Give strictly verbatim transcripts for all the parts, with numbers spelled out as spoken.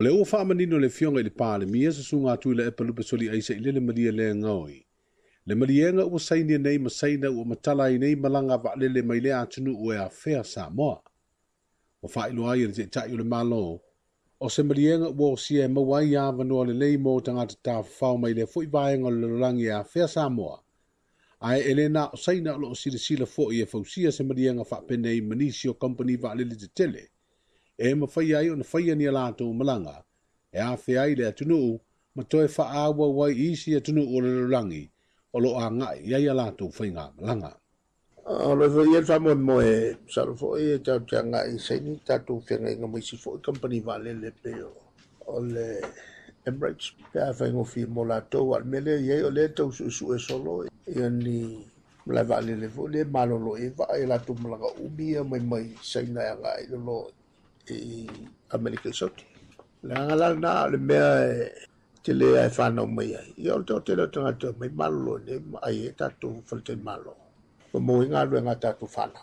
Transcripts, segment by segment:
O lea ua faamanino le Afioga i le Palemia Susuga Tuilaepa Lupesoliai Sailele Malielegaoi. Le maliega ua sainia nei ma Saina ua matala ai nei malaga vaalele mai lea atunuu e afea Samoa. Ua faailoa ai e le Taitai o le Malo, o se maliega ua osia e maua ai avanoa lelei mo tagata tafafao mai lea foi vaega o le lalolagi e afea Samoa. Ae e le na o Saina o loo silasila foi e fausia se maliega faapenei ma nisi o kamupani vaalele tetele. E mafai ai ona faia ni a latou malaga e afea ai le atunuu ma toe faaauau ai i isi atunuu o le lalolagi o loo agai i ai a latou faigamalaga. O lo foi ia faamoemoe masalo foi e tatou te agai i saini tatou feagaiga ma isi foi kamupani vaalele pei o le Emirates pe a faigofie mo latou. A o le mea lea e i ai o lea e tau suesue solo ia ni malae vaalele foi lea e malolo i ai vaa i latou malaga umi ia mai mai Saina e agai i lalo i Amerika i Saute. Leaga la lena o le mea e tele ai whanau mai ai. Ia o le toatele o tagata mai malolo nei ma ai e tatou faletalimalo. Ma mo i ngā tatou whanau.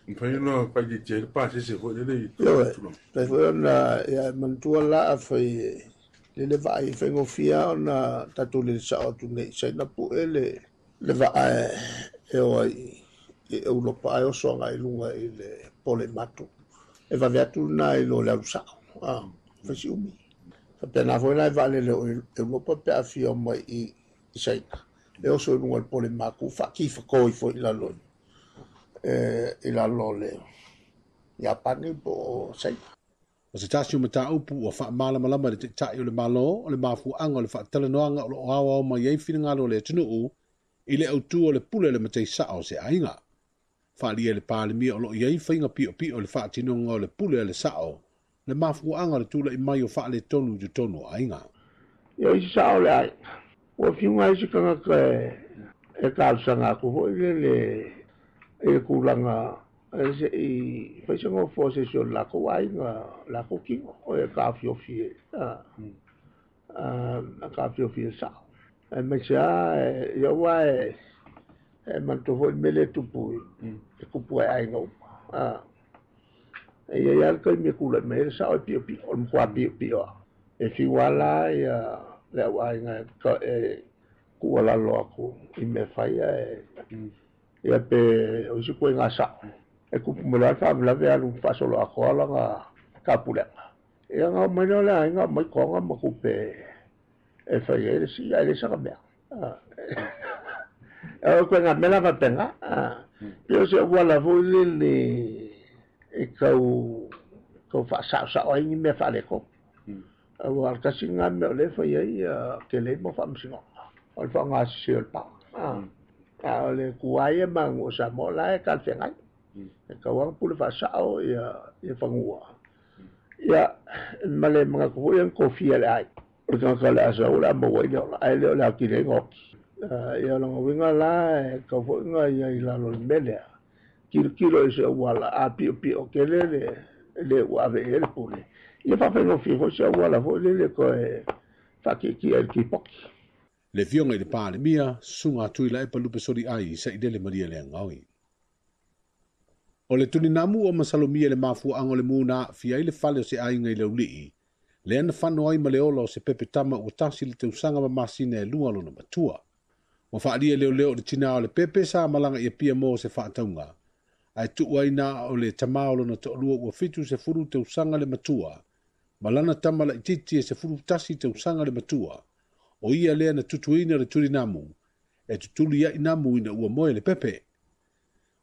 Mawhai ona whaititia i le pāsese foi lele i Ioe, fai foi ona ia manatua la a fai lele vaa i faigofie ona tatou lele sao atu nei Saina pue le le vaa e e o ai i Europa ai oso agai i luga i le pole matu. E vave atu lena i lo le alu sao, ah, fai si umi. Faapena foi la e vaalele o Europa pe a fia mai i i Saina. E oso i luga o le pole maku, faakifakoi foi i lalo e, i lalo o le Iapani po o Saina. O se tasi o mataupu ua faamalamalama le Taitai o le Malo o le mafuaaga o le faatalanoaga o loo aoao mai ai finagalo o le atunuu i le autū o le pule le matai sao o se aiga. Faaalia e le Palemia o loo i ai faiga piopio o le faatinoga o le pule a le sao, le mafuaaga o le tula'i mai o faaletonu i totonu o aiga. Ia o isi sao o le aiga. Ua fiuga ai se tagata e e talosaga atu foi lele i le tulaga e se'i fai se gofo a se isi o le latou aiga, latou tino, o e taofiofi e a taofiofi e sao. Aemaise lava ia ua e e manatua foi le mea lea e tupu e tupu ai aiga uma. A e i ai lava le taimi e tulai mai ai le sao e piopio, o le matua piopio lava. E fiu lava la ia le au aiga e tuualalo atu i mea fai ae ia pe o isi ituaiga sao. E tupu mai loa le faalavelave alu faasolo atoa lana tapulega. Ia na oo mai lea o le aiga aumai toga ma tupe e fai ai le sii ae le sana mea. O ituaiga mea la faapena. Pei o se auala foi lele e tau tau faasaosao ai ni mea faaletonu. Aua o le tasi lena mea o lea e fai ai tele ai mau faamasinoga. O le faaaogasese o le paga. A o le tuai ia ma aganuu o Samoa la e talafeagai. E tatau lava ona pule faasao ia ia fanua. Ia ma le manatu foi ia na tofia e le aiga. O le tagata o le a sau o le a maua ai le ola, ae le o le atili ai ona oti. Ia o lona uiga la e tatau foi ona ia i lalo o le mea lea. Tilotilo i se auala a piopio tele le le ua ave i ai le pule. Ia faafaigofie foi se auala foi lele toe faatietie ai le tipoti. Le Afioga i le Palemia, Susuga Tuilaepa Lupesoliai Sailele Malielegaoi. O le tulinamu ua masalomia i le mafuaaga o le mu na aafia ai le fale o se aiga i Laulii, lea na fano ai ma le ola o se pepe tama ua tasi le tausaga ma masina e lua lona matua. Ua faaalia e leoleo o le tinā o le pepe sa malaga i Apia mo se faatauga, ae tuu ai na o le tamā o lona toalua ua fitu sefulu tausaga le matua, ma lana tama laitiiti e sefulu tasi tausaga le matua, o ia lea na tutuina le tulinamu, e tutuli ai namu ina ua moe le pepe.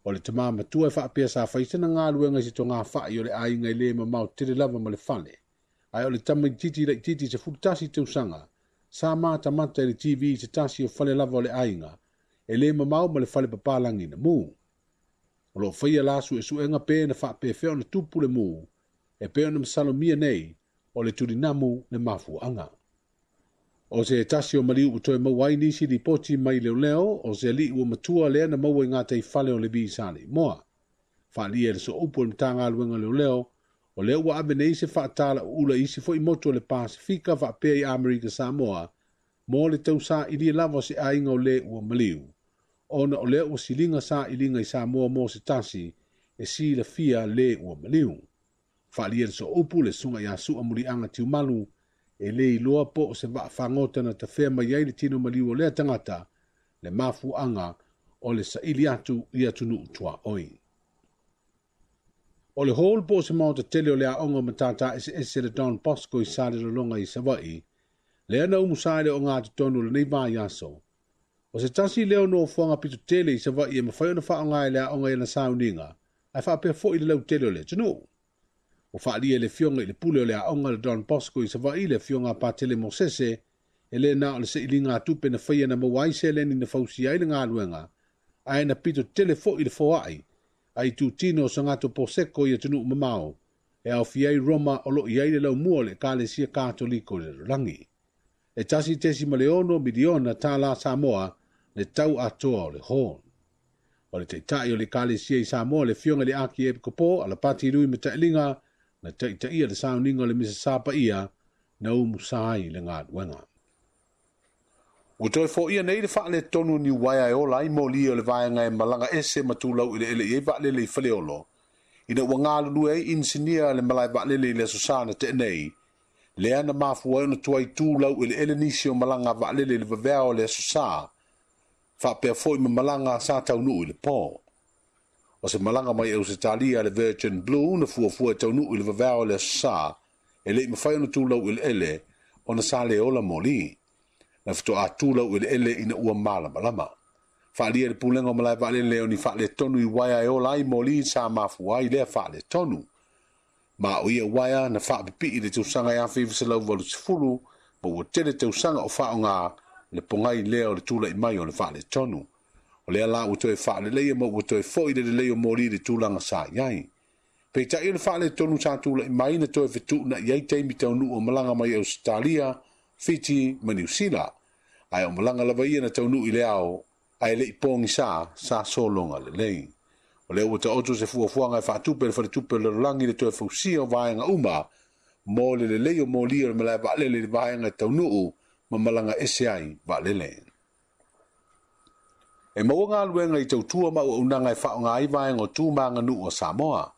O le tamā matua e faapea sa fai sana galuega i se togafai o le aiga e le mamao tele lava ma le fale, ae o le tamaitiiti laitiiti sefulu tasi tausaga, sa matamata i le T V i se tasi o fale lava o le aiga, e le mamao ma le fale papalagi na mu. O loo faia la suesuega pe na faapefea ona tupu le mu, e pei ona masalomia nei o le tulinamu le mafuaaga. O se tasi o maliu ua toe maua ai nisi lipoti mai leoleo o se alii ua matua lea na maua i ngā taifale o le Levi sa Leimoa. Faaalia e le sooupu o le Matagaluega leoleo, o lea ua ave nei se faatalauula i isi foi motu o le Pasifika faapea i Amerika Samoa, mo le tausaili lava o se aiga o le ua maliu, ona o lea ua siliga sailiga i Samoa mo se tasi e silafia le ua maliu. Faaalia e le sooupu le susuga ia Sua Muliaga Tiumalu, E le iloa po o se vaafagota na tafea mai ai le tino maliu o lea tagata le mafuaaga o le saili atu i atunuu tuaoi. O le hall po o se maota tele o le aoga o matata eseese le Don Bosco i Salelologa i Savaii, lea na umusa ai le ogatotonu o lenei vaiaso. O se tasi lea o nofoaga pito tele i Savaii e mafai ona faaaoga e le aoga i ana sauniga, ae faapea foi le lautele o le atunuu. Ua faaalia e le afioga i le pule o le aoga le Don Bosco i Savaii le afioga a Patele Mosese, e le na o le seiliga a tupe na faia na maua ai seleni na fausia ai le galuega, ae na pito tele foi le foai, ai tutino o sangato poseko i atunuu mamao, e aofia ai Roma o loo i ai le laumua o le Ekalesia Katoliko i le lalolagi. E tasi tesi ma le ono miliona tālā Samoa le tau atoa o le hall. O le taitai o le Ekalesia i Samoa le afioga i le Akiepikopo Alapati Lui Matailiga na taitaia le sauniga o le misa sapaia na umusa ai le galuega. Ua toe foia nei le faaletonu ni uaea e ola ai moli o le vaega e malaga ese ma tulau eleele i ai vaalele i Faleolo, ina ua galulue ai inisinia le malae vaalele i le aso Sa na tea nei, lea na mafua ai ona tuai tulau eleele nisi o malaga a vaalele i le vaveao o le aso Sa, faapea foi ma malaga sa taunuu i le po. O se malaga mai Ausetalia le Virgin Blue na fuafua e taunuu i le vaveao o le aso Sa, e le i mafai ona tulau eleele ona sa le ola moli. Na fatoa tulau eleele ina ua malamalama. Faalia le pulega o malae vaalele o ni faaletonu i uaea e ola ai moli sa mafua ai lea faaletonu. Ma o ia uaea na faapipii le tausaga e afe iva selau valu sefulu, ma ua tele tausaga o faaaoga le pogai lea o le tula'i mai o le faaletonu. O lea la ua toe faaleleia ma ua toe fo'i le lelei o moli i le tulaga sa i ai. Peitai o le faaletonu sa tula'i mai na toe fetuuna'i ai taimi taunuu o malaga mai Ausetalia, Fiti ma Niu Sila, ae o malaga lava ia na taunuu i le ao, ae le i pogisa sa sologa lelei. O lea ua taoto se fuafuaga e faatupe le faletupe o le lalolagi le toe fausia o vaega uma mo le lelei o moli o le malae vaalele i le vaega e taunuu ma malaga ese ai vaalele. E maua galuega i tautua ma auaunaga e faaaoga ai vaega o tu ma aganuu o Samoa.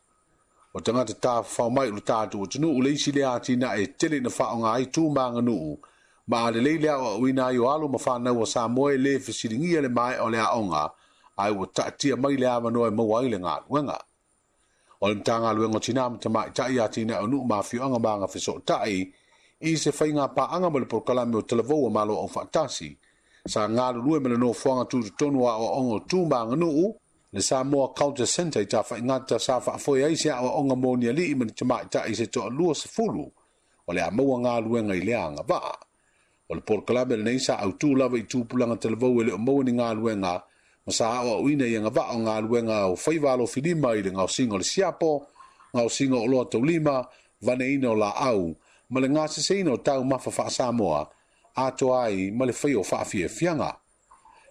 O tagata tafafao mai o le tatou atunuu le isi lea atinae e tele ina faaaoga ai tu ma aganuu, ma a lelei le aoaoina ai o alo ma fanau o Samoa e lē fesiligia le maea o le aoga, ae ua taatia mai le avanoa e maua ai le galuega. O le Matagaluega o Tinā ma Tamaitai atinae o nuu ma afioaga ma agafesootai i se faiga paaga ma le polokalame o Talavou o Malo Aufaatasi, sa galulue ma le nofoaga tutotonu o aoaoga o tu ma aganuu, le Samoa Culture Centre i Tafaigata sa faafoe ai se aoaoga mo ni alii ma ni tamaitai se toalua sefulu o le a maua galuega i lea agavaa. O le polokalame lenei sa autū lava i tupulaga talavou e le o maua ni galuega ma sa aoaoina i agavaa o galuega o faiva alofilima i le gaosiga o le siapo, gaosiga o oloa taulima, vaneina o laau, ma le gaseseina o taumafa faa-Samoa, atoa ai ma le faia o faafiafiaga.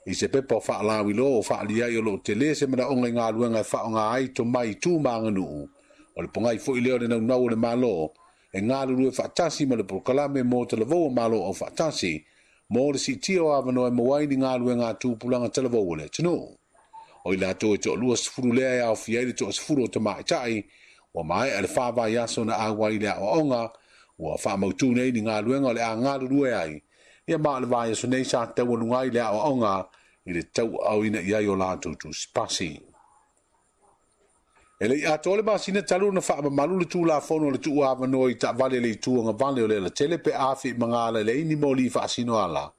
I se pepa o faalauiloa o faaliai o loo tele se manaoga i galuega e faaaoga ai tomai i tu ma aganuu, o le pogai foi lea o le naunau o le Malo, e galulue faatasi ma le polokalame mo talavou o Malo Aufaatasi, mo le siitia o avanoa e maua ai ni galuega a tupulaga talavou o le atunuu. O i latou e toalua sefulu lea e aofia ai le toasefulu o tamaitai, ua maea le fa vaiaso na auai i le aoaoga, ua faamautū nei ni galuega o le a galulue ai, ia ma o le vaiaso nei sa taualuga ai le aoaoga i le tauaaoina i ai o latou tusipasi. E le i atoa le masina talu ona faamamalu le Tulafono o le tuuavanoa i taavale le itu agavale o le alatele pe a feimagala i le ai ni moli faasino ala,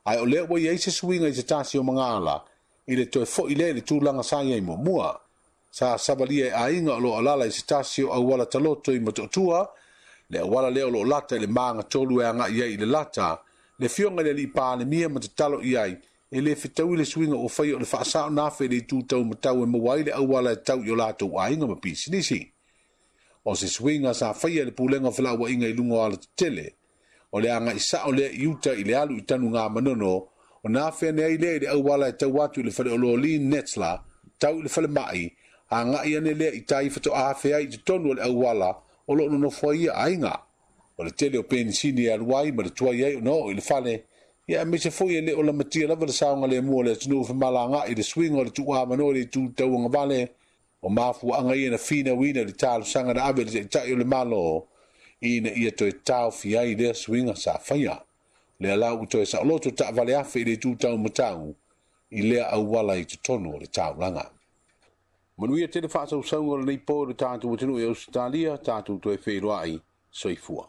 ae o lea ua i ai se suiga i se tasi o magala i le toe fo'i lea i le tulaga sa i ai muamua. Sa savalia e aiga o loo alaala i se tasi o auala taloto i Motootua, le auala lea o loo lata i le magatolu e agai ai i le lata, le afioga i le alii Palemia ma tatalo i ai, e le fetaui le suiga ua faia o le faasao na afe i le itu taumatau e maua ai le auala e tau i o latou aiga ma pisinisi. O se suiga sa faia e le pulega o felauaiga i luga o alatetele, o le agai sao lea i uta i le alu i Tanugamanono, o na afe ane ai lea i le auala e tau atu i le faleoloa Lean Netzler, tau i le falemai, agai ane lea i tai fatoa afe ai i totonu o le auala o loo nonofo ai ia aiga. O le tele o penisini e alu ai ma le tuai ai ona oo i le fale, ia aemaise foi e le o lamatia lava le saogalemu o le atunuu femalagaai i le suiga o le tuuavanoa i le itu tauagavale, o mafuaaga ia na finauina i le talosaga na ave i le taitai o le Malo, Ina ia toe taofia ai lea suiga sa faia. Lea la ua toe saoloto taavale afe i le itu taumatau i lea auala i totonu o le taulaga. Manuia tele faasausauga o lenei po i le tatou atunuu i Ausetalia, tatou toe feiloai, soifua.